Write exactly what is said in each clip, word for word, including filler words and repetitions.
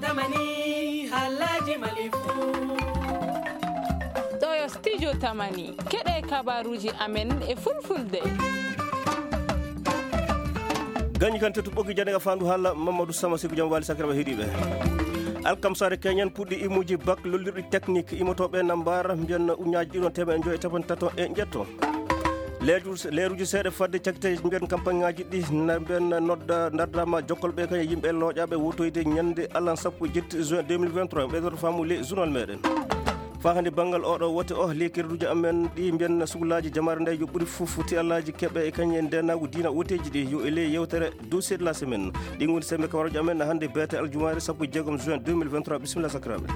Tamani, halaji malifu. Ɗo yo studio Tamani. Keɗe kabaruji amen e fulfulde. Gañi kan tetu ɓoggi jande ka fandu hala Mamadou Sama Siku jam wali sakiraɓe heɗiɓe. Alkamsare keñen puɗɗi imuji bak lollirɗi technique imotoɓe na mbara mbiyanna uñaji ɗiɗon temeɗe joyi e capanɗe tato e ƴetto. Leeru-, leeruji seeɗa fadde cakite mbiyan campagne ngaji ɗi na mbiyan nodda dardama jokkolɓe kañe yimɓe looƴaɓe wotoyde ñande alan sappo e jetti juin deux mille vingt-trois. Ɓeydoto faamu le journal meɗen. Fa hannde banngal oɗo wote o, le kerduji amen ɗi mbiyan sukulaji jamare nde yo ɓuri fof foti alaji keɓe e kañe ndenagu dina woteji ɗi yo e le yewtere dossier de la semaine. Ɗi ngoni sembe kabaruji amen hannde beete aljumaare sappo e jeegom juin deux mille vingt-trois. Bisimilla sakiraɓe.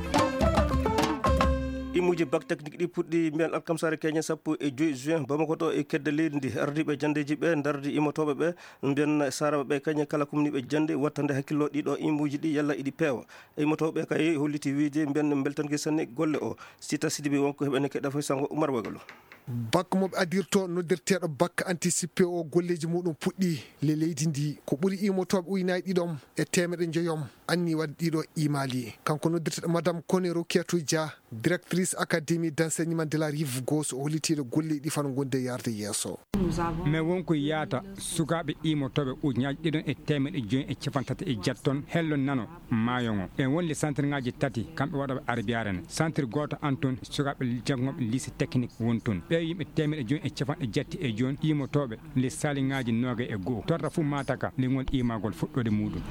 Imuji bak technique ɗi puɗɗi mbiyan alkamsare keñe sappo e joyi juin Bamako to e kedde leydi ndi. Ardiɓe jandeji ɓe dardi imotoɓe ɓe mbiyan saraɓe ɓe kañe kala kumniɓe jande wattande hakkillo ɗiɗo imuji ɗi yalla iɗi peewa. E imotoɓe kay holliti wiide mbiyan beltanke sanne golle o. Sita Sidibe wonko heɓene keɗa foy sango Umar Wagalo. Bak mo ɓe adirto noddirteeɗo bak anticipé o golleji muɗum puɗɗi le leydi ndi ko ɓuri imotoɓe uynaaji ɗiɗom e temeɗe njoyom anni waɗde ɗiɗo imali. Kanko noddirteeɗo Madame Kone Rokiatou Dia, directrice Académie d'enseignement de la Rive Gauche o hollitiiɗo golleji ɗi fano gonde yarde yeeso. Mais wonko yaata sukaaɓe iimotoɓe ujunnaaji ɗiɗon e teemeɗe joyi e cappanɗe tati e jeetati ton hello nano maayo ngo. E wonde centre ngaji tati kamɓe waɗoɓe arbiyaare ne. Centre gooto an ton sukaaɓe janngoɓe lycée technique won ton. Ɓe yimɓe teemeɗe joyi e cappanɗe jeetati e joyi iimotoɓe les saliŋaaji noogay e go'o. Torra fuu maataka le ngol iimagol fuɗɗoode muɗum.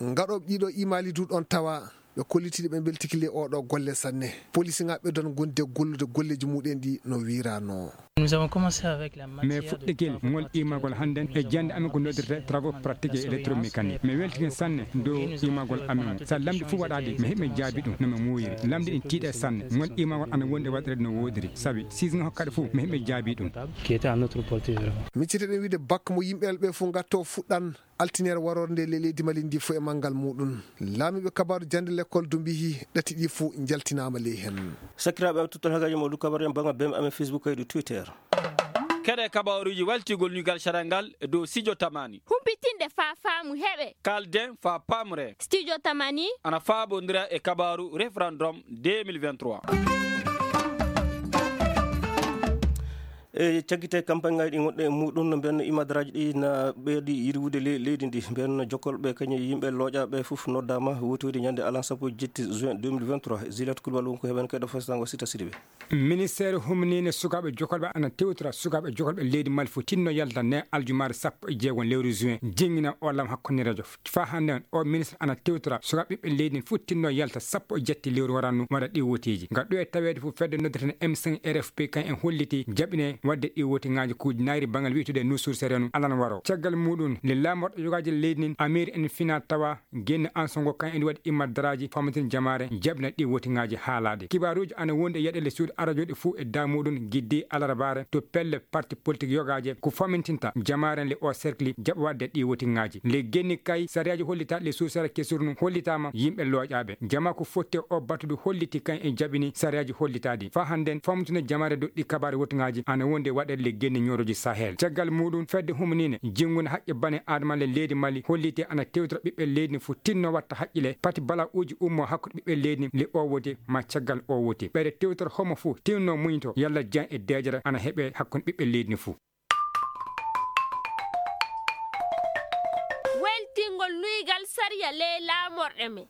Ngaɗooɓe ɗiɗo imaali du ɗon tawa. Ɓe kollitiiɗo ɓe mbeltiki le oɗo golle sanne. Polisinga ɓe don gonde gollude golleji muɗen ɗi no wirano. Nous avons commencé avec la matière. Mais fuɗɗikil ngol imagol hannden e jannde amin ko noddirte travaux pratiques et électromécanique. Mi weltike sanne dow imagol amin. Sa lamdi fuu waɗaɗi, mi heɓi jaabi ɗum no mi muuyiri. Lamdi ɗin tiiɗe sanne. Ngol imagol ana wondi waɗirede no woodiri. Sabi, season hokkaɗe fuu, mi heɓi jaabi ɗum. Qui était à notre portée, vraiment. Micciteɗen wiide bak mo yimɓe ɓe fuu ngatto fuɗɗan. Altinere warorde nde le leydi Mali ndi fof e manngal muɗum. Laamiiɓe kabaaru jannde l'école du mbiyi ɗati ɗi fof njaltinaama ley heen. Sakiraaɓe, tuttal hagaaji mo du kabaru en banngal bem amen Facebook kay du Twitter. Keɗe kabaaruji waltigol nuygal sarangal e dow Sijo Tamani. Humpitinde fa faamu heɓe. Kalden fa pamre. Studio Tamani. Ana faabondira e kabaaru référendum deux mille vingt-trois. E cakkite campagne ngaji ɗi gonɗe e muɗum no mbiyanno imadaraaji ɗi na ɓeydi yirwude le-, leydi ndi. Mbiyanno jokkolɓe kañum e yimɓe looƴaaɓe fof noddaama wotoyde ñande alan sappo e jetti juin deux mille vingt-trois. Zilat Koulibaly wonko heɓen kayɗo fastango Sita Sidibe. Ministeere humniinde sukaaɓe jokkolɓe ana tewtora sukaaɓe jokkolɓe leydi Mali fof tinno yalta ne aljumaare sappo e jeegom lewru juin. Jingina o lam hakkunde rajo. Fa hannde on, o ministre ana tewtora sukaaɓe ɓiɓɓe leydi ndin fof tinno yalta sappo e jetti lewru warannu waɗa ɗi woteeji. Nga ɗo e taweede fof fedde noddirten M cinq R F P kan en holliti jaɓine waɗde ɗi wotingaaji kuuji nayri bangal wi'etude Nusur Serenu alan waro. Caggal muɗum, le laamorɗo yogaaji leydi ndin Amir en fina tawa genne ansongo kan en waɗi immadaraaji famatin jamaare jaɓina ɗi wotingaaji haalaade. Kibaaruuji ana wondi e yaɗele suudu arajoɗi fof e damuɗum giddi alarbaare to pelle parti politique yogaaje ko famintinta jamaaren le o cercle jaɓa waɗde ɗi wotingaaji. Le genni kay sariyaaji hollitaaɗi le suusara kesurnu hollitaama yimɓe looƴaaɓe. Jama ko fotte o batudu holliti kan e jaɓini sariyaaji hollitaaɗi. Fa hannden famtude jamaare doɗɗi kabaare wotingaaji ana wonde waɗede le genni ñooroji Sahel. Caggal muɗum fedde humniinde jinngune haqqe bane Adama le leydi Mali holliti ana tewtora ɓiɓɓe leydi fof tinno watta haqqile pati bala'uuji ummo hakkude ɓiɓɓe leydi le o wote ma caggal o wote. Ɓeyde tewtora homo fof tinno muñto yalla jan e deejere ana heɓe hakkunde ɓiɓɓe leydi fof. Weltingol nuygal sariya ley laamorɗe men.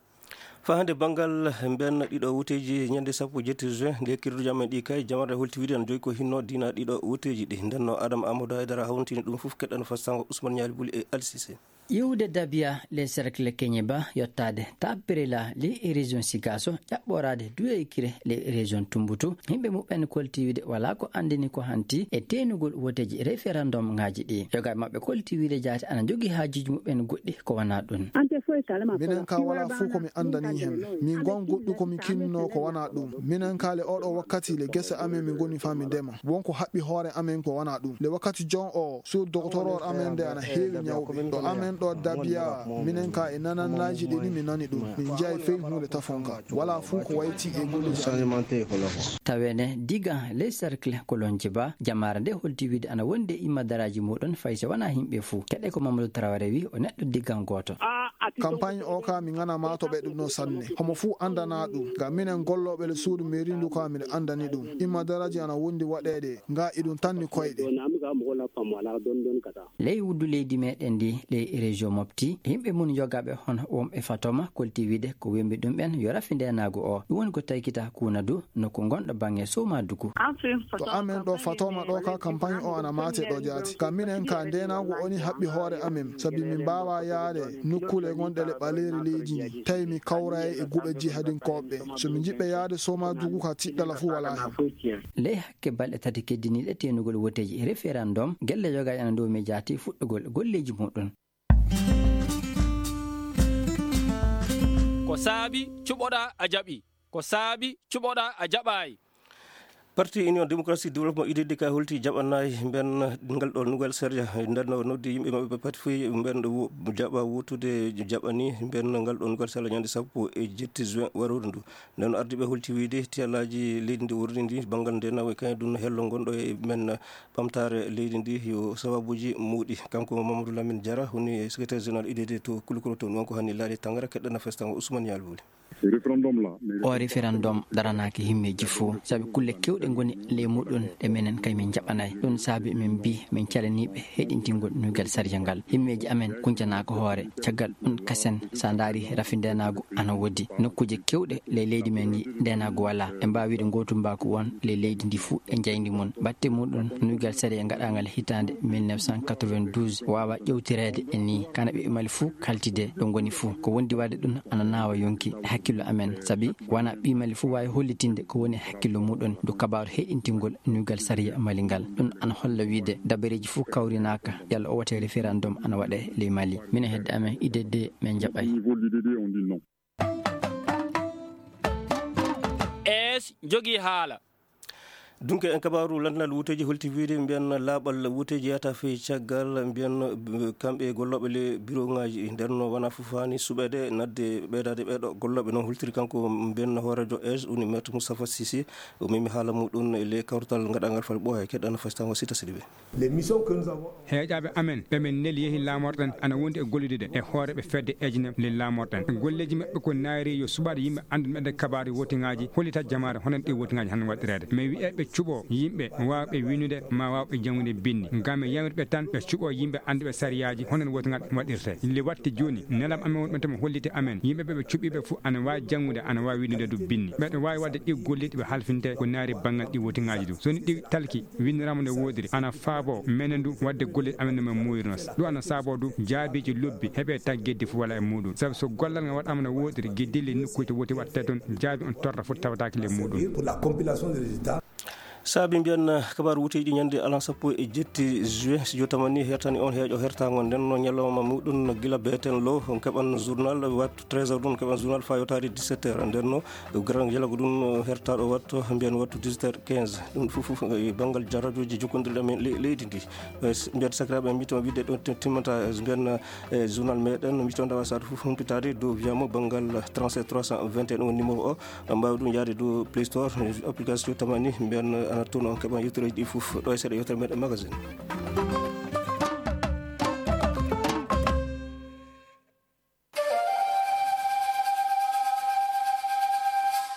Fahande banngal mbiyan ɗiɗo woteeji ñande sappo e jetti juin, nde kirduji amen ɗi kay, jamarɗe holti wiide no joyi ko hinno dina ɗiɗo woteeji ɗi. Nden no Adama Amadou Haydara hawntini ɗum fof, keɗɗano fastango Ousmane Ñaali Buli e Ali Cissé. Iwde Dabia, les cercles Keñeba, yottaade Tappirela, les régions Sigaso, ƴaɓɓoraade Duweykire, les régions Tumbutu, yimɓe muɓɓen kolti wiide wala ko anndini ko hanti e teenugol woteeji référendum ngaji ɗi. Yoga e maɓɓe kolti wiide jaati ana jogii haajuuji muɓɓen goɗɗi ko wonaa ɗum. Minen ka wala fof ko mi anndani hen. Min gon goɗɗi ko mi kinno ko wonaa ɗum. Minen ka le oɗo wakkati le gese amen min ngoni fa mi ndema. Won ko haɓɓi hoore amen ko wonaa ɗum. Le wakkati jon o, sur doctoror amen nde ana heewi ñawɓe. Ɗo amen Ɗo Dabiya, minen ka e nanannaaji ɗi ni mi nani ɗum. Min njaay fey huunde tafonka. Walaa fuu ko wayti e golleeji amin. Tawene diga ley cercle Kolonji Ba, jamaare nde holti wiide ana wondi e imma daraaji muuɗum, fay so wanaa yimɓe fuu. Keɗe ko Mamadou Traoré wi, o neɗɗo diggan gooto. Campagne o ka mi ngana ma to ɓe ɗum no sanne. Homo fuu andana ɗum. Ngam minen gollooɓe le suudu mairie ndu ka miɗo andani ɗum. Imma daraaji ana wondi waɗeede. Nga iɗum tanni koyɗe. Ley wuddu leydi meɗen ndi, ley région Mopti, yimɓe mun yogaaɓe hono wonɓe Fatoma kolti wiide ko wembi ɗum ɓen yo rafi ndenaagu o. Ɗum woni ko taykita kuna du nokku gonɗo bange Soma Dugu. To amen ɗo Fatoma ɗo ka campagne o ana mate ɗo jaati. Ka minen ka ndenaagu o ni haɓɓi hoore amen, sabi min mbaawa yaade nokkuule gonɗe le ɓaleeri leydi ndi. Tawi mi kawray e guɓe jihadinkooɓe. So min njiɗɓe yaade Soma Dugu ka tiɗɗala fuu wala hen. Ley hakke balɗe tati keddiniiɗe teenugol woteeji référendum, gelle yoga ena dow miijaati fuɗɗugol golleeji muɗum. Ko saabi cuɓoɗaa a jaɓi. Ko saabi cuɓoɗaa a jaɓaay. Parti Union Démocratique Développement, U D D K, holti jaɓanaay mben ngal ɗo Nouvelle Sariya. Nden no noddi yimɓe maɓɓe pati fof mben ɗo wo-, jaɓa wootude jaɓani mben ngal ɗo Nouvelle Sariya ñande sappo e jetti juin warooru ndu. Nden no ardiiɓe holti wiide tiyalaaji leydi ndi worri ndi banngal nde nawa kañum ɗum hello ngonɗo e men ɓamtaare leydi ndi yo sababuuji muuɗi. Kanko Mamadou Lamine Diarra woni secrétaire général U D D to Kulukuro toon, wonko hanni laaɗe tangara keɗɗana festango Ousmane Yalbuli. O référendum daranaaki himmeeji fof, sabi kulle keewɗe ngoni ley muɗum ɗe menen kay min njaɓanaay. Ɗum saabi min mbi min calaniiɓe heɗintingol nuygal sariya ngal. Himmeeji amen kuncanaaka hoore. Caggal ɗum kasen, so a ndaari rafi ndenaagu ana woodi. Nokkuuje keewɗe ley leydi men ndi ndenaagu walaa. Ɓe mbaawi wiide ngootu mbaaku won ley leydi ndi fuu e njayndi mum. Batte muɗum nuygal sariya ngaɗaangal hitaande mille neuf cent quatre-vingt-douze waawa ƴewtireede e nii. Kana ɓe Mali fuu kaltide ɗo ngoni fuu. Ko wondi waɗde ɗum ana naawa yonki e hakkillo amen, sabi wona ɓii Mali fuu waawi hollitinde ko woni hakkillo muɗum dow kabaaru heɗintingol nuygal sariya Mali ngal. Ɗum ana holla wiide dabareeji fuu kawrinaaka, yalla o wate référendum ana waɗe ley Mali. Minen hedde amen U D D min njaɓay. Es jogii haala. Dunke en kabaaru landal wuteeji holti wiide mbiyan laaɓal wuteeji yata fey caggal mbiyan, eh, kamɓe gollooɓe le bureau ŋaaji nder no wona fof hani suɓeede nadde ɓeydaade ɓeeɗo gollooɓe noon holtiri kanko mbiyan hooreejo es woni maître Moustapha Cissé. O memi haala muɗum e le kawrital ngaɗangal fal ɓooya keɗɗana fastango Sita Sidibé. Heeƴaaɓe amen ɓe min neli yehi laamorɗen ana wondi e gollidude e hooreeɓe fedde ejinem le laamorɗen. Golleeji maɓɓe ko naayri yo suɓaaɗo yimɓe annduɓe ɓe kabaaru wotiŋaaji hollita jamaare hono ɗi wotiŋaaji han waɗireede. Mi wi'e ɓe cuɓo yimɓe waawɓe winnude ma waawɓe janngude binndi. Ngam mi yamiri ɓe tan ɓe cuɓo yimɓe annduɓe sariyaaji hono wotiŋal waɗirte. Le watti jooni nelam amen wonɓe tuma holliti amen yimɓe ɓe ɓe cuɓiiɓe fof ana waawi janngude ana waawi winnude du binndi. Ɓeɗo waawi waɗde ɗi golli ɗi ɓe halfinte ko naayri banngal ɗi wotiŋaaji du. So ni ɗi talki winndiraama no woodiri, ana faabo menen du waɗde golle amen no men muuyruno. Ɗum ana saabo du jaabiiji lobbi heɓe tan geddi fof wala e muɗum. Sabu so gollal ngal waɗaama no woodiri, geddi le nokkuuje woti waɗte toon, jaabi on torra fof tawataake le muɗum. Saabi mbiyan, eh, kabaaru wuteeji ɗi ñande alan sappo e jetti juin, si jotamani hertani on heeƴo hertaango nden no ñalawma muɗum no gila beeten lo, on keɓan journal wattu treize heures ɗum, keɓan journal fa yotaade dix-sept heures. Nden no Grand Dialogue ɗum, eh, hertaaɗo wattu, mbiyan wattu dix-sept heures quinze. Ɗum fof, fof, eh, banngal jarrajuuji jokkondirɗi amen le-, leydi ndi. Eh, s-, mbiyan sakiraaɓe, mbiton wiide ɗo ti-, timmata, eh, mbiyan, eh, journal meɗen, mbiton dawa saatu fof humpitaade dow wiyamo banngal trente-sept trois cent vingt et un woni numéro o. Mbaawi ɗum yaade dow Play Store, eh, application tamani, mbiyan, eh, ana toon on keɓan yewtereeji ɗi fof. Ɗo e seeɗa yewtere meɗen magazine.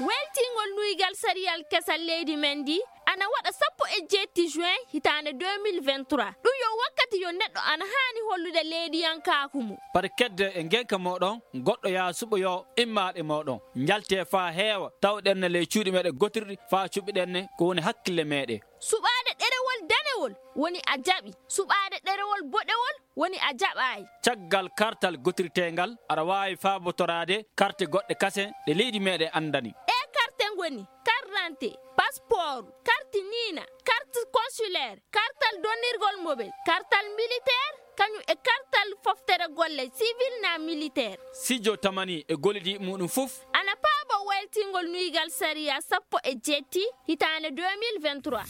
Weltingol nuygal sariyal kesal leydi men ndi ana waɗa sappo e jeetti juin hitaande deux mille vingt-trois. Ɗum yo wakkati yo neɗɗo ana haani hollude leydiyankaaku mum. Par kedde e ngenka mooɗon, goɗɗo yaa suɓoyoo immaaɗe mooɗon. Njaltee faa heewa, tawɗen ne ley cuuɗi meɗen gotirɗi faa cuɓiɗen ne ko woni hakkille meɗen. Suɓaade ɗerewol danewol woni a jaɓi. Suɓaade ɗerewol boɗewol woni a jaɓaay. Caggal kartal gotirteengal, aɗa waawi faabotoraade karte goɗɗe kasen ɗe leydi meɗen anndani. Ɗee karte ngoni carte d'identité, passeport, carte niina, carte consulaire, kartal donnirgol mobel, kartal militaire, kañum e kartal foftere golle civil na militaire. Sijo tamani e gollidiiɓe muɗum fof. Ana paabo weltingol nuygal sariya sappo e jeetti hitaande deux mille vingt-trois.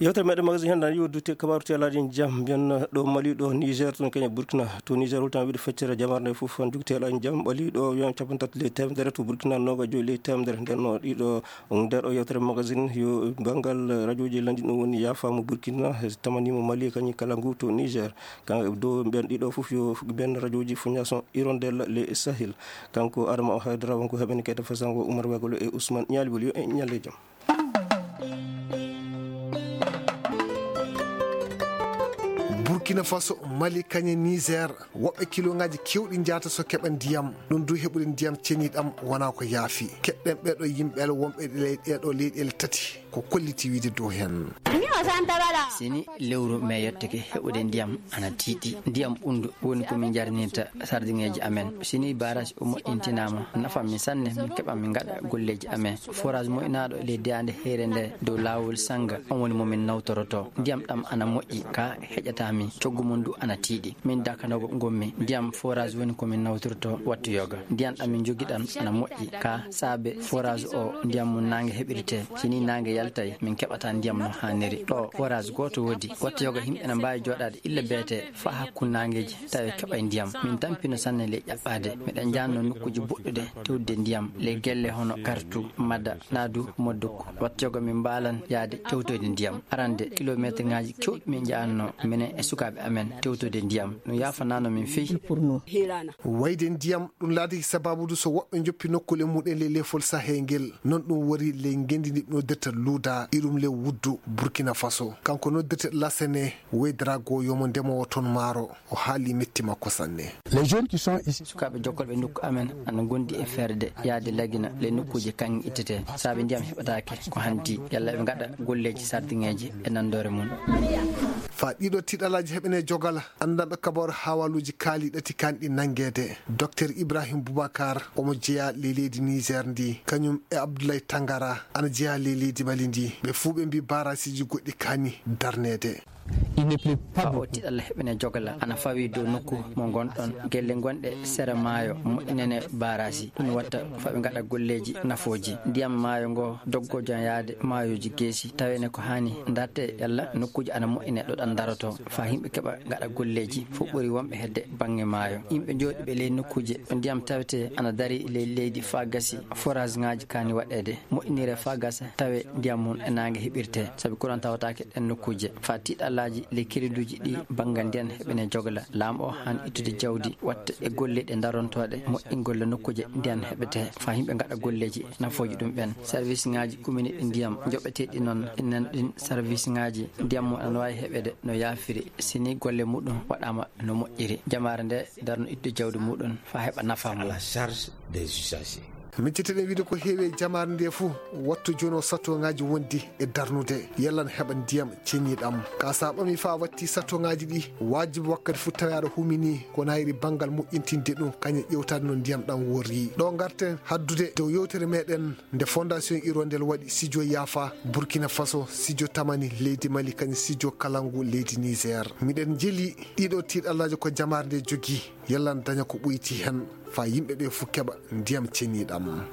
Yewtere meɗen magasin hannde, yo dutte kabaaru teelaaji jam, mbiyen ɗo Mali, ɗo Niger, toon Kenya, Burkina. To Niger, holtan wiide feccere jamaare nde fof, an jogi teelaaji jam, ɓali ɗo wiyan capanɗe tati ley teemedere, to Burkina, noogajo ley teemedere. Nden no ɗiɗo, nder o yewtere magasin, yo banngal rajooji lanndi ɗum woni yaafaama Burkina, tamaniima Mali, kañum kala ngu to Niger. Kan dow mbiyan ɗiɗo fof, yo mbiyan rajooji Fondation Hirondelle le Sahel. Kanko Adama Haydara, wonko heɓani kayta fasango Oumar Wagolo e Ousmane Nialibol, yo en ñalle jam. Burkina Faso, Mali, kañe Niger, woɓɓe kilongaaji kewɗi njaata so keɓa ndiyam. Ɗum du heɓude ndiyam ceniɗam wona ko yaafi. Keɓɗen ɓeɗo yimɓe wonɓe ɗe ley-, ɗeɗo leyɗeele tati. Ko kolliti wiide dow heen. Sini lewru me yottake heɓude ndiyam ana tiiɗi. Ndiyam ɓunndu woni ko min njarnirta sardiŋeeji amen. Sini barrage o moƴƴintinaama, nafa min sanne, min keɓa min ngaɗa golleeji amen. Forage moƴƴinaaɗo ley daande heyre nde dow laawol Sanga, on woni mo min nawtoroto. Ndiyam ɗam ana moƴƴi, ka heƴata min. Coggu mum du ana tiiɗi. Min Dakanogo ngonmi. Ndiyam forage woni ko min nawtorto wattu yoga. Ndiyam ɗam min njogi ɗam ana moƴƴi. Ka saabe forage o, ndiyam mum naange heɓirte. Sini naange yaltay, min keɓata ndiyam no haaniri. Ɗo forage gooto woodi. Wattu yoga, yimɓe na mbaawi jooɗaade illa beete faa hakkunde naangeeji tawi keɓay ndiyam. Min tampino sanne ley ƴaɓɓaade. Miɗen njaanno nokkuuji boɗɗuɗe tewtude ndiyam, ley gelle hono Kartu, Mada, Naadu, Modduk. Wattu yoga min mbaalan yaade tewtoyde ndiyam. Arande, kilomeetirŋaaji keewɗi min njaanno, minen e sukaaɓe amen, tewtoyde ndiyam. Ɗum yaafanaano min fey. Wayde ndiyam, ɗum laatiki sabaabu du so woɓɓe njoppi nokkuule mumen ley lefol Sahel ngel. Non ɗum wori ley ngenndi ndi noddirta Luuda, irum ley wuddu Burkina Faso. Kanko noddirta Lasene, weydarago yomo ndemoowo toon maaro. O haali metti makko sanne. Les jeunes qui sont ici. Sukaaɓe jokkolɓe nokku amen ana ngondi e ferde yaade Lagina, ley nokkuuje kaŋŋe ittete. Saabe ndiyam heɓataake ko hanti, yalla ɓe ngaɗa golleeji sardiŋeeji e nandoore mum. Faa ɗiɗo tiiɗalaaji heɓene jogala, anndanɗo kabaaru haawaaluuji kaali ɗati kanɗi nanngeede. Docteur Ibrahim Boubacar, omo jeyaa ley leydi Niger ndi, kañum e Abdoulaye Tangara, ana jeyaa ley leydi Mali ndi. Ɓe fuu ɓe mbii barasiiji goɗɗi kaani darneede. Il ne pleut pas. Faa o beaucoup. Tiiɗalla heɓene jogala ana fawi dow nokku mo ngonɗon. Gelle gonɗe sera maayo moƴƴinene barasi. Ɗum watta faa ɓe ngaɗa golleeji nafooji. Ndiyam maayo ngo doggo jan yaade maayooji geesi. Tawene ko haani ndarte yalla nokkuuji ana moƴƴine ɗo ɗan daroto. Faa yimɓe keɓa ngaɗa golleeji. Fof ɓuri wonɓe hedde baŋŋe maayo. Yimɓe jooɗiiɓe ley nokkuuje ɗo ndiyam tawete ana dari ley leydi faa gasi. Forage ŋaaji kaani waɗeede. Moƴƴinire faa gasa tawe ndiyam mum e naange heɓirte, sabi courant tawataake ɗen nokkuuje. Faa tiiɗallaaji ley keriduuji ɗi banngal ndiyan heɓene jogla. Laamu o haan ittude jawdi watta e golle ɗe darontooɗe moƴƴingol nokkuuje ndiyan heɓete, faa yimɓe ngaɗa golleeji nafooji ɗum ɓen. Service ŋaaji kumini ɗi ndiyam joɓeteeɗi noon, inan ɗin service ŋaaji ndiyam mum ana waawi heɓeede no yaafiri, si ni golle muɗum waɗaama no moƴƴiri. Jamaare nde darno ittude jawdi muɗum faa heɓa nafa mum. À la charge des usagers. Micciteɗen wiide ko heewi e jamaare nde fuu, wattu jooni o satoŋaaji wondi e darnude, yalla ne heɓa ndiyam ceniiɗam. Ka sa ɓami faa watti satoŋaaji ɗi, waajibi wakkati fuu tawi aɗa humini ko nayri banngal moƴƴintinde ɗum, kañum ƴewtaade no ndiyam ɗam worri. Ɗo ngarten haddude dow yewtere meɗen nde Fondation Hirondelle waɗi sijo Yafa, Burkina Faso, sijo Tamani leydi Mali, kañum sijo Kalangu leydi Niger. Miɗen jeli ɗiɗo tiiɗallaaji ko jamaare nde jogii, yalla ne daña ko ɓoyti hen. Faa yimɓe ɓe fuu keɓa ndiyam ceniiɗam.